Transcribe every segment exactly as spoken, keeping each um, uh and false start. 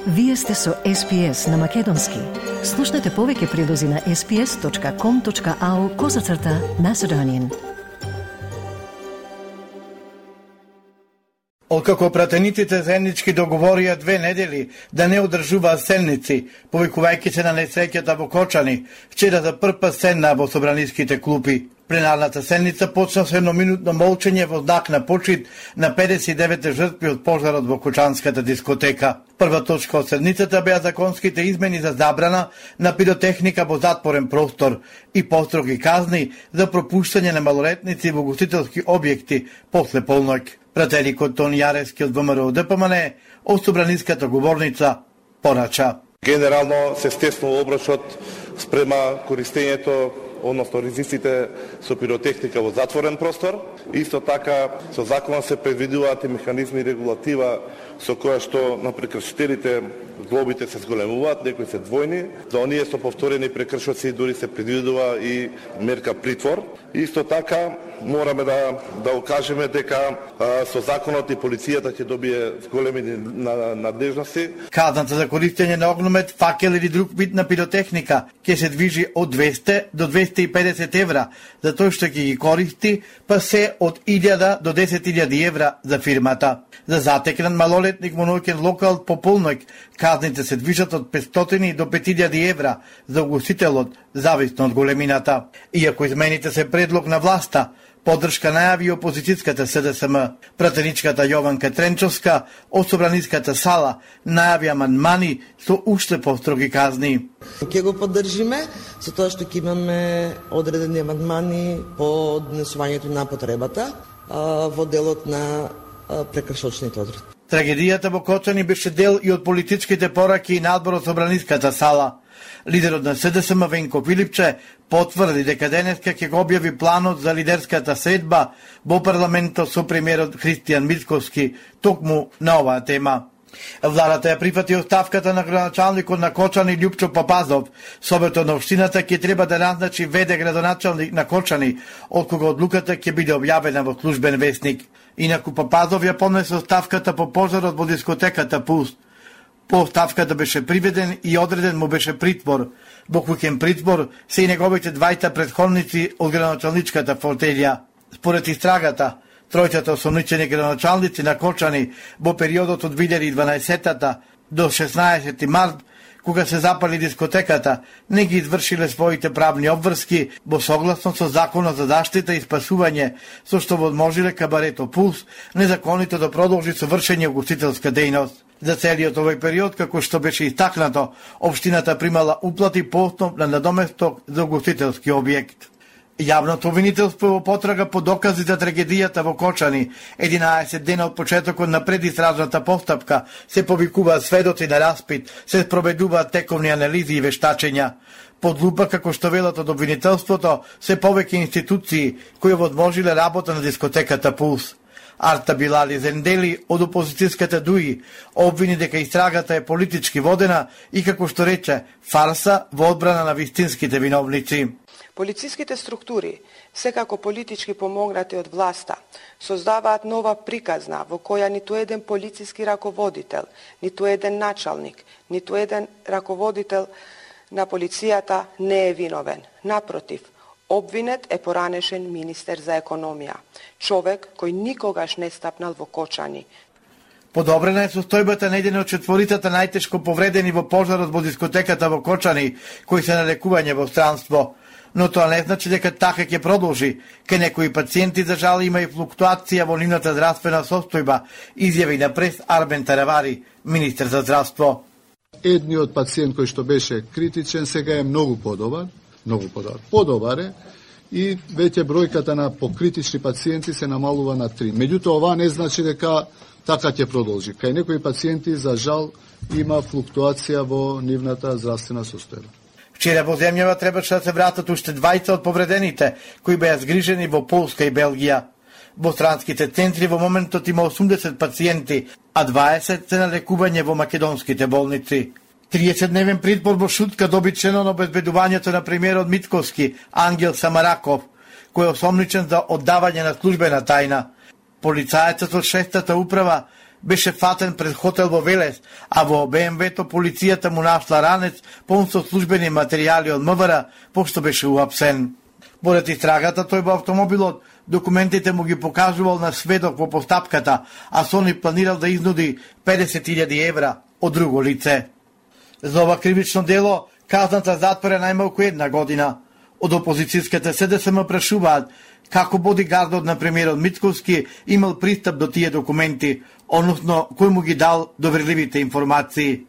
Вие сте со Ес Пи Ес на Македонски. Слушнете повеќе прилози на ес пи ес точка ком точка ау козацрта Macedonian. Откако пратениците заеднички договорија две недели да не одржуваат седници, повикувајќи се на несреќата во Кочани, вчера за прв пат седна во собраниските клупи. Пленарната седница почна со едноминутно молчење во знак на почит на педесет и девет жртви од пожарот во Кочанската дискотека. Прва точка од седницата беа законските измени за забрана на пиротехника во затворен простор и построги казни за пропуштање на малолетници во гостителски објекти после полноќ. Пратеникот Тони Јарески од Вэ Ем Р О Д П М Н од собраниската говорница порача. Генерално се стеснува обрашот спрема користењето, односно ризиците со пиротехника во затворен простор. Исто така, со законот се предвидуваат и механизми и регулатива со која што на прекршителите глобите се зголемуваат, некои се двојни. За оние со повторени прекршоци дури се предвидува и мерка притвор. Исто така, мораме да да окажеме дека а, со законот и полицијата ќе добие големи надежности. Казната за користење на огномет, факел или друг вид на пиротехника ќе се движи од двесте до двесте и педесет евра за тој што ќе ги користи, па се од илјада до десет илјади евра за фирмата. За затекнат малолетник во ноќен локал по полноќ казните се движат од петстотини до пет илјади евра за угостителот, зависно од големината. Иако измените се предлог на власта, поддршка најави опозицијската С Д С М. Пратеничката Јованка Тренчовска од собраниската сала најави амандмани со уште построги казни. Ќе го поддржиме со тоа што ќе имаме одредени амандмани по однесувањето на потребата а, во делот на а, прекршочните одредби. Трагедијата во Кочани беше дел и од политичките пораки на одборот собраниската сала. Лидерот на С Д С М Венко Филипче потврди дека денеска ќе го објави планот за лидерската средба во парламентот со премиерот Христијан Мицковски токму на оваа тема. Владата ја прифати оставката на градоначалникот на Кочани Љупчо Папазов. Советот на општината ќе треба да назначи веде градоначалник на Кочани, од кога одлуката ќе биде објавена во службен весник. Инаку Папазов ја понесе оставката по пожарот во дискотеката Пулс. По оставката беше приведен и одреден му беше притвор. Во куќен притвор се и неговите двајта претходници од градоначалничката фотелја. Според истрагата, тројцата осомничени градоначалници на Кочани во периодот од две илјади и дванаесетта до шеснаесети март, кога се запали дискотеката, не ги извршиле своите правни обврски во согласно со Законот за заштита и спасување, со што возможиле кабарето Пулс незаконито да продолжи со вршење угостителска дејност. За целиот овој период, како што беше истакнато, општината примала уплати по основ на надоместок за угостителски објект. Јавното обвинителство во потрага по докази за трагедијата во Кочани, единаесет дена од почетокот на предистражната постапка, се повикуваат сведоци на распит, се спроведуваат тековни анализи и вештачења. Под лупа, како што велат од обвинителството, се повеќе институции кои возможиле работа на дискотеката Пулс. Арта Билали Зендели од опозицијската ДУИ обвини дека истрагата е политички водена и, како што рече, фарса во одбрана на вистинските виновници. Полициските структури, секако политички помогнати од власта, создаваат нова приказна во која ниту еден полициски раководител, ниту еден началник, ниту еден раководител на полицијата не е виновен. Напротив, обвинет е поранешен министер за економија, човек кој никогаш не стапнал во Кочани. Подобрена е состојбата на еден од четворицата најтешко повредени во пожарот во дискотеката во Кочани, кои се на лекување во странство. Но тоа не значи дека така ќе продолжи. Ке некои пациенти, за жал, има и флуктуација во нивната здравствена состојба, изјави на прес Арбен Таравари, министер за здравство. Едниот пациент кој што беше критичен сега е многу подобар, многу подобар. Подобар е и веќе бројката на покритични пациенти се намалува на три. Меѓутоа, ова не значи дека така ќе продолжи. Кај некои пациенти, за жал, има флуктуација во нивната здравствена состојба. Вчера во земјава требаше да се вратат уште двајца од повредените, кои беа згрижени во Полска и Белгија. Во странските центри во моментот има осумдесет пациенти, а дваесет се на лекување во македонските болници. триесетдневен притвор во Шутка доби членот на обезбедувањето на премиерот Мицковски, Ангел Самараков, кој е осомничен за оддавање на службена тајна. Полицаецот од шестата управа беше фатен пред хотел во Велес, а во Бе Ем Ве-то полицијата му нашла ранец полн со службени материјали од Ем Ве Р, пошто беше уапсен. Поред истрагата, тој во автомобилот документите му ги покажувал на сведок во постапката, а со ни планирал да изнуди педесет илјади евра од друго лице. За ова кривично дело казната затвора најмалку една година. Од опозицијската Се Де Се Ем прашуваат како бодигардот на премиерот Мицковски имал пристап до тие документи, односно кој му ги дал доверливите информации.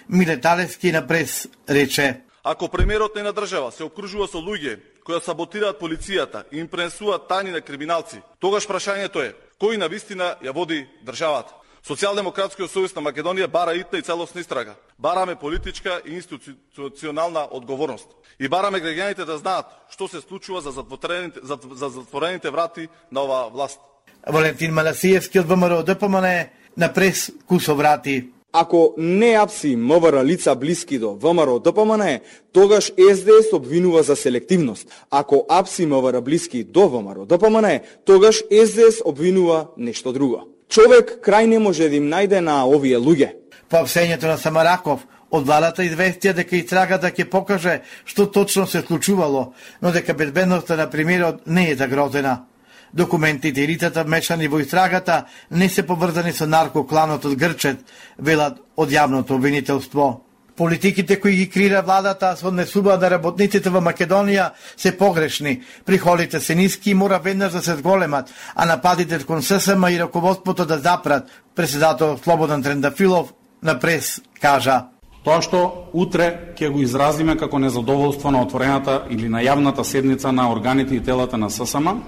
Миле Талевски на прес рече: Ако премиерот на држава се окружува со луѓе кои саботираат полицијата и им пренесуваат тајни на криминалци, тогаш прашањето е кој на вистина ја води државата. Социјалдемократскиот сојуз на Македонија бара итна и целосна истрага. Бараме политичка и институционална одговорност. И бараме граѓаните да знаат што се случува за затворените, за, за затворените врати на оваа власт. Валентин Манасиевски од Вэ Ем Р О Д П М Н на прес кусо врати. Ако не апси Ем В Р лица блиски до Вэ Ем Р О Д П М Н, тогаш Ес Де Ес обвинува за селективност. Ако апси Ем В Р блиски до Вэ Ем Р О Д П М Н, тогаш Ес Де Ес обвинува нешто друго. Човек крај не може да им најде на овие луѓе. По апсењето на Самараков, од владата известија дека истрагата ќе покаже што точно се случувало, но дека безбедноста на премиерот не е загрозена. Документите и лицата вмешани во истрагата не се поврзани со наркокланот од Грчет, велат од јавното обвинителство. Политиките кои ги креира владата со однесуваат на работниците во Македонија се погрешни. Приходите се ниски и мора веднаш да се зголемат, а нападите кон Се Се Ем и раководството да запрат. Председател Слободан Трендафилов на прес кажа: Тоа што утре ќе го изразиме како незадоволство на отворената или на јавната седница на органите и телата на Се Се Ем,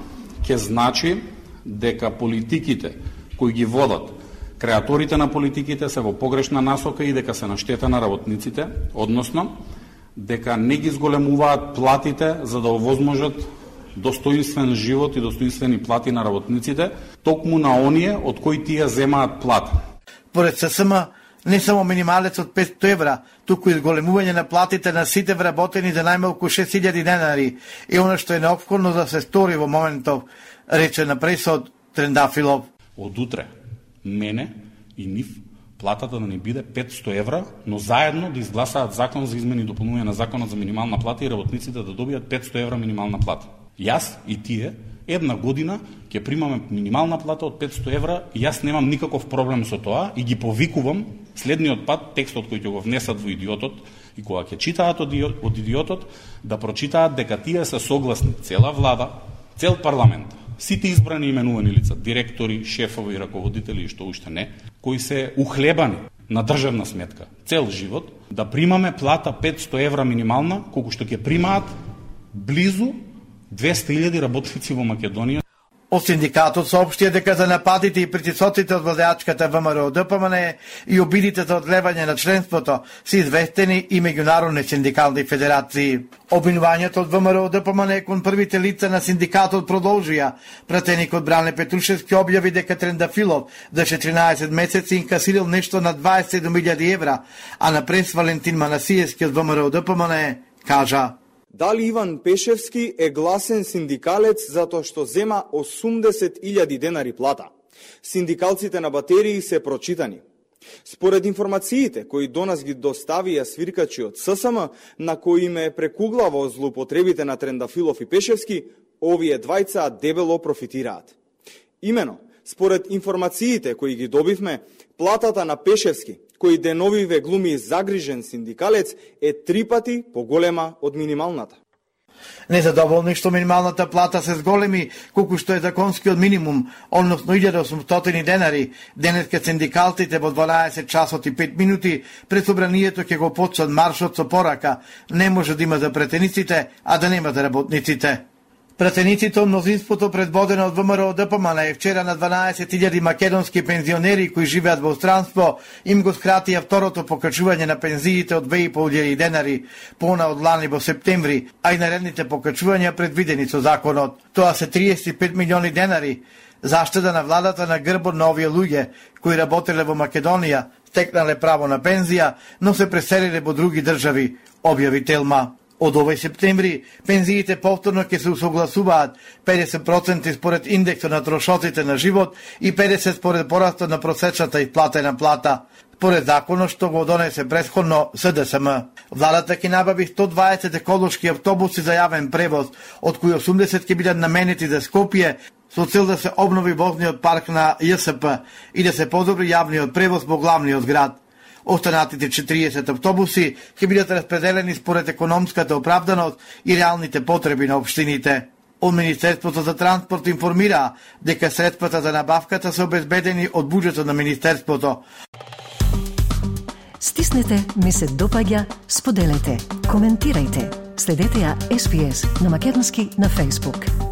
ќе значи дека политиките кои ги водат, креаторите на политиките се во погрешна насока и дека се на штета на работниците, односно дека не ги зголемуваат платите за да овозможат достоинствен живот и достоинствени плати на работниците, токму на оние од кои тие земаат плата. Поред Се Се Ем, не само минималец од петстотини евра, туку изголемување на платите на сите вработени за најмалку шест илјади денари и она што е неопходно да се стори во моментов, рече на пресот Трендафилов. Од утре мене и нив платата да не биде петстотини евра, но заедно да изгласаат закон за измени и дополнување на законот за минимална плата и работниците да добијат петстотини евра минимална плата. Јас и тие една година ќе примаме минимална плата од петстотини евра и јас немам никаков проблем со тоа и ги повикувам следниот пат текстот кој ќе го внесат во Идиотот и кога ќе читаат од Идиотот да прочитаат дека тие се согласни, цела влада, цел парламент, сите избрани именувани лица, директори, шефови и раководители и што уште не, кои се ухлебани на државна сметка цел живот, да примаме плата петстотини евра минимална, колку што ќе примаат близу двесте илјади работници во Македонија. Од синдикатот соопштија дека за нападите и притисоците од владеачката Вэ Ем Р О Д П М Н и обидите за одлевање на членството се известени и меѓународни синдикални федерации. Обвинувањето од Вэ Ем Р О Д П М Н кон првите лица на синдикатот продолжија. Пратеникот Бране Петрушевски објави дека Трендафилов за четиринаесет месеци инкасирал нешто на дваесет и седум илјади евра, а на прес Валентин Манасиевски од Вэ Ем Р О Д П М Н кажа: Дали Иван Пешевски е гласен синдикалец затоа што зема осумдесет илјади денари плата? Синдикалците на батерии се прочитани. Според информациите кои до нас ги доставија свиркачи од Се Се Ем, на кои ме прекуглаво злоупотребите на Трендафилов и Пешевски, овие двајца дебело профитираат. Имено, според информациите кои ги добивме, платата на Пешевски, кој деновиве глуми загрижен синдикалец, е три пати поголема од минималната. Незадоволни што минималната плата се зголеми колку што е законскиот минимум, односно илјада и осумстотини денари, денеска синдикалците во дванаесет часот и пет минути пред собранието ќе го почнат маршот со порака: не може да има за претениците, а да нема за работниците. Пратениците од мнозинството предводено од Вэ Ем Р О Д П М Н вчера на дванаесет илјади македонски пензионери кои живеат во странство им го скратија второто покачување на пензиите од две и пол илјади денари, пона од лани во септември, а и наредните покачувања предвидени со законот. Тоа се триесет и пет милиони денари, заштеда на владата на грбот на овие луѓе кои работеле во Македонија, стекнале право на пензија, но се преселиле во други држави, објави Телма. Од овој септември, пензиите повторно ќе се усогласуваат педесет проценти според индексот на трошоците на живот и педесет според порастот на просечната исплатена плата, според законот што го донесе претходно С Д С М. Владата ќе набави сто дваесет еколошки автобуси за јавен превоз, од кои осумдесет ќе бидат наменети за Скопје, со цел да се обнови возниот парк на Ј С П и да се подобри јавниот превоз во главниот град. Останатите четириесет автобуси ќе бидат распределени според економската оправданост и реалните потреби на општините. Од Министерството за транспорт информира дека средствата за набавката се обезбедени од буџетот на Министерството. Стиснете, ми се допаѓа, споделете, коментирајте. Следете ја С Б С на македонски на Facebook.